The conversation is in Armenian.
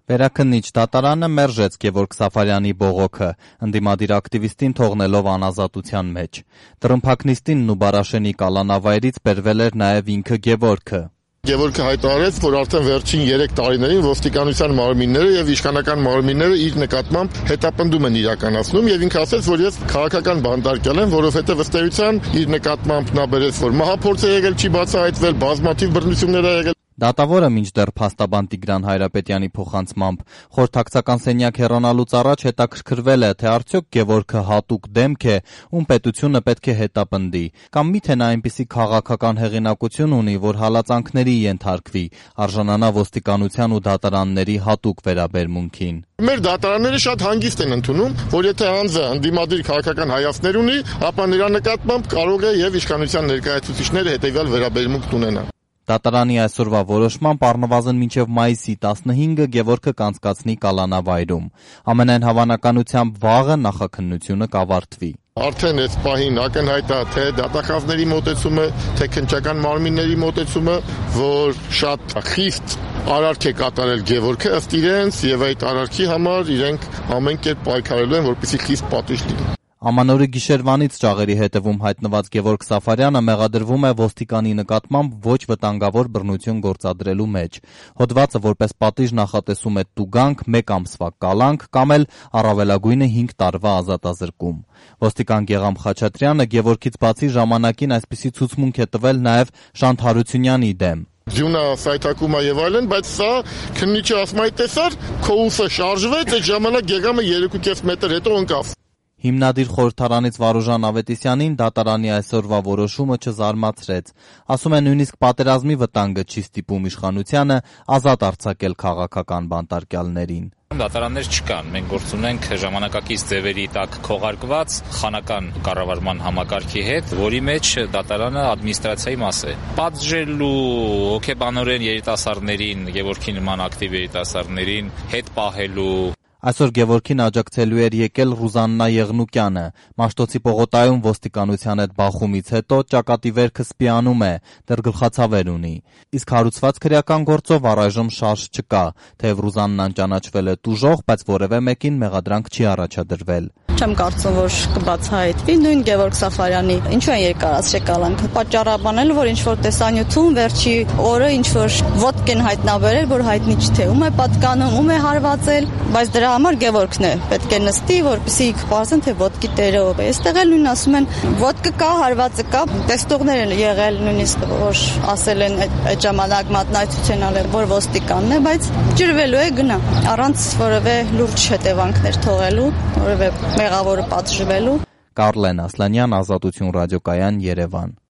Վերաքննիչ դատարանը մերժեց Գևորգ Սաֆարյանի բողոքը, ընդդիմադիր ակտիվիստին թողնելով անազատության մեջ։ Տրմփակնիստինն ու Բարաշենի կալանավայրից բերվել էր նաև ինքը Գևորգը։ Գևորգը հայտարարեց, որ արդեն վերջին 3 տարիներին ոստիկանության մարմինները եւ իշխանական մարմինները իր նկատմամբ հետապնդում են իրականացնում եւ ինքը ասաց, որ ես քաղաքական բանտարկյալ եմ, որովհետեւ ըստ էության իր նկատմամբ նա բերեց, որ մահափորձ է եղել, չի բացահայտվել, բազմաթիվ բռնություններ ա եղել։ Դատավորը մինչդեռ փաստաբան Տիգրան Հայրապետյանի փոխանցմամբ խորհրդակցական սենյակ հեռանալուց առաջ հետաքրքրվել է, թե արդյոք Գևորգը հատուկ դեմք է, ում պետությունը պետք է հետապնդի, կամ միթե նա այնպիսի քաղաքական հեղինակություն ունի, որ հալածանքների ենթարկվի, արժանանա ոստիկանության ու դատարանների հատուկ վերաբերմունքին։ Մեր դատարանները շատ հանգիստ են ընդունում, որ եթե անձը ընդդիմադիր քաղաքական հայացքներ ունի, ապա նրա նկատմամբ կարող է եւ իշխանության ներկայացուցիչները հետեւյալ վերաբերմունք ունենան։ Դատարանի այսօրվա որոշմամբ առնվազն մինչև մայիսի 15-ը Գևորգը կանցկացնի կալանավայրում։ Ամենայն հավանականությամբ վաղը նախաքննությունը կավարտվի։ Արդեն այս պահին ակնհայտ է թե դատախազների մոտեցումը, թե քննչական մարմինների մոտեցումը, որ շատ խիստ արարք է կատարել Գևորգը ըստ իրենց եւ այդ արարքի համար իրենք ամեն կերպ պայքարելու են, որպեսզի խիստ պատիժ լինի։ Ամանորի գիշերվանից ճաղերի հետևում հայտնված Գևորգ Սաֆարյանը մեղադրվում է ոստիկանի նկատմամբ ոչ վտանգավոր բռնություն գործադրելու մեջ։ Հոդվածը որպես պատիժ նախատեսում է տուգանք, 1 ամսվա կալանք կամ էլ առավելագույնը 5 տարվա ազատազրկում։ Ոստիկան Գեգամ Խաչատրյանը Գևորգից բացի ժամանակին այսպիսի ցուցմունք է տվել նաև Շանթ Հարությունյանի դեմ։ Ձյունը սայթակում է եւ այլն, բայց սա քննիչը ասում է տեսար, քո ուսը շարժվեց, այդ ժամանակ Գեգամը 3.5 մետր հետո ընկավ։ Հիմնադիր խորհրդարանից Վարուժան Ավետիսյանին դատարանի այսօրվա որոշումը չզարմացրեց։ Ասում է նույնիսկ պատերազմի վտանգը չի ստիպում իշխանությանը ազատ արձակել քաղաքական բանտարկյալներին։ Դատարաններ չկան, մենք գործ ունենք ժամանակակից ձևերի տակ քողարկված խանական կառավարման համակարգի հետ, որի մեջ դատարանը ադմինիստրացիայի մաս է։ Պատժելու հոգեբանորեն երիտասարդներին, Գևորգի նման ակտիվ երիտասարդներին հետ պահելու։ Այսօր Գևորգին աջակցելու էր եկել Ռուզաննա Եղնուկյանը։ Մաշտոցի պողոտայում ոստիկանության հետ բախումից հետո ճակատի վերքը սպիանում է, դեռ գլխացավեր ունի։ Իսկ հարուցված քրեական գործով առայժմ շարժ չկա, թեև Ռուզաննան ճանաչվել է տուժող, բայց որևէ մեկին մեղադրանք չի առաջադրվել։ Չեմ կարծում, որ կբացահայտվի նույն Գևորգ Սաֆարյանի ինչու են երկարացրել կալանքը։ Պատճառաբանել, որ ինչ-որ տեսանյութում վերջի օրը ինչ-որ ոդկ են հայտնաբերել, որ հայտնի չէ թե ում է պատկանում, ում է հարվածել, բայց դրա համար Գևորգն է պետք է նստի, որպեսզի պարզեն, թե ոդկի տերը ով է։ Այստեղ էլ նույն ասում են, ոդկը կա, հարվածը կա, տեստողներ են եղել նույնիսկ, որ ասել են այդ ժամանակ մատնացություն անել, որ ոստիկանն է, բայց ջրվելու է գնա, առանց որևէ լուրջ հետևանքներ թողելու, որևէ մեղավորը պատժվելու։ Կարլեն Ասլանյան, Ազատություն ռադիոկայան, Երևան։